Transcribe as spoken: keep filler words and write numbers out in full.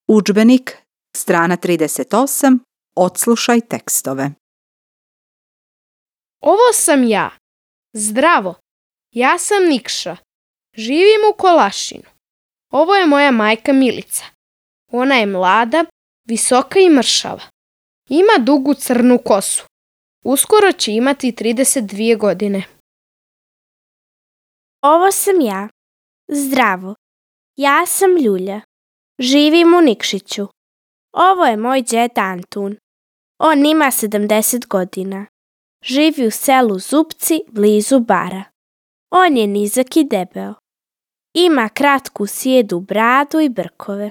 Udžbenik, strana trideset osam, odslušaj tekstove. Ovo sam ja. Zdravo. Ja sam Nikša. Živim u Kolašinu. Ovo je moja majka Milica. Ona je mlada, visoka i mršava. Ima dugu crnu kosu. Uskoro će imati trideset dvije godine. Ovo sam ja. Zdravo. Ja sam Ljulja. Živim u Nikšiću. Ovo je moj džed Antun. On ima sedamdeset godina. Živi u selu Zupci, blizu Bara. On je nizak i debeo. Ima kratku sijedu bradu i brkove.